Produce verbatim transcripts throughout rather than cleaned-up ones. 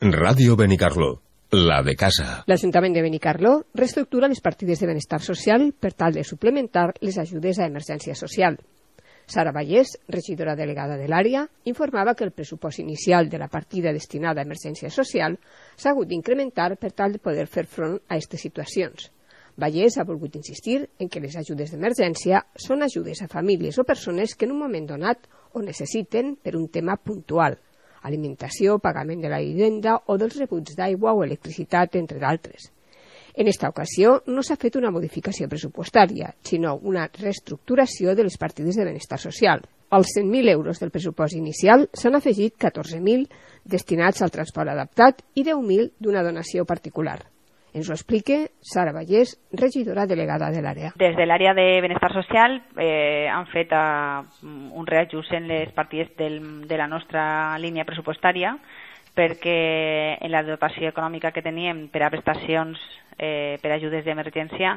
Ràdio Benicarló, la de casa. L'Ajuntament de Benicarló reestructura les partides de benestar social per tal de suplementar les ajudes a emergència social. Sara Vallès, regidora delegada de l'àrea, informava que el pressupost inicial de la partida destinada a emergència social s'ha hagut d'incrementar per tal de poder fer front a aquestes situacions. Vallès ha volgut insistir en que les ajudes d'emergència són ajudes a famílies o persones que en un moment donat ho necessiten per un tema puntual, alimentació, pagament de la vivenda o dels rebuts d'aigua o electricitat, entre d'altres. En esta ocasió no s'ha fet una modificació pressupostària, sinó una reestructuració de les partides de benestar social. Als cent mil euros del pressupost inicial s'han afegit catorze mil destinats al transport adaptat i deu mil d'una donació particular. Ens ho explica Sara Vallès, regidora delegada de l'àrea. Des de l'àrea de benestar social eh, han fet uh, un reajust en les partides del, de la nostra línia pressupostària perquè en la dotació econòmica que teníem per a prestacions eh, per a ajudes d'emergència,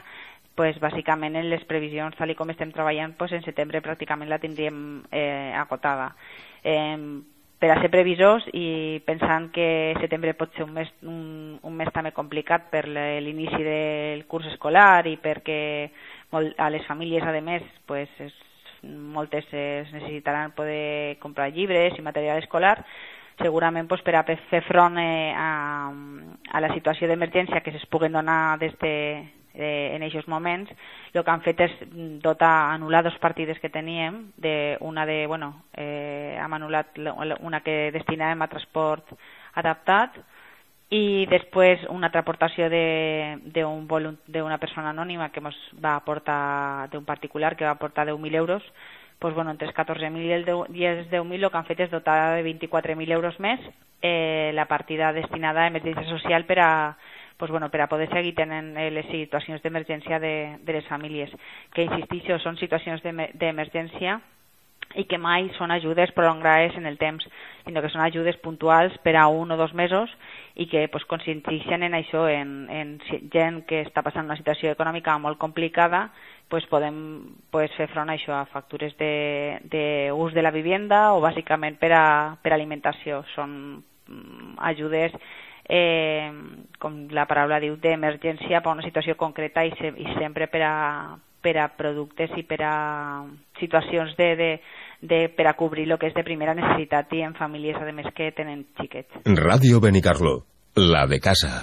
pues, bàsicament en les previsions, tal com estem treballant, pues, en setembre pràcticament la tindríem eh, agotada. Eh, per a ser previsors i pensant que setembre pot ser un mes, un, un mes també complicat per l'inici del curs escolar i perquè molt, a les famílies, a més, pues, es, moltes es necessitaran poder comprar llibres i material escolar, segurament pues, per a fer front eh, a, a la situació d'emergència que es puguen donar des de, eh, en aquests moments, el que han fet és dotar, anul·lar dos partides que teníem, de, una de, bueno, eh, hem anul·lat una que destinàvem a transport adaptat i després una altra aportació d'una persona anònima que ens va aportar, d'un particular que va aportar deu mil euros. Pues, bueno, entre els catorze mil i els deu mil el que han fet és dotar de vint-i-quatre mil euros més eh, la partida destinada a emergència social per a, pues, bueno, per a poder seguir tenint eh, les situacions d'emergència de, de les famílies, que insistixo, són situacions d'emergència i que mai són ajudes prolongades en el temps, sinó que són ajudes puntuals per a un o dos mesos i que pues, consisteixen en això, en, en gent que està passant una situació econòmica molt complicada, pues, podem pues, fer front a això, a factures d'ús de, de la vivenda o bàsicament per a, per a alimentació. Són mm, ajudes, eh, com la paraula diu, d'emergència per a una situació concreta i, se, i sempre per a, per a productes i per a situacions de, de, de, per a cobrir el que és de primera necessitat i en famílies, a més, que tenen xiquets. Ràdio Benicarló, la de casa.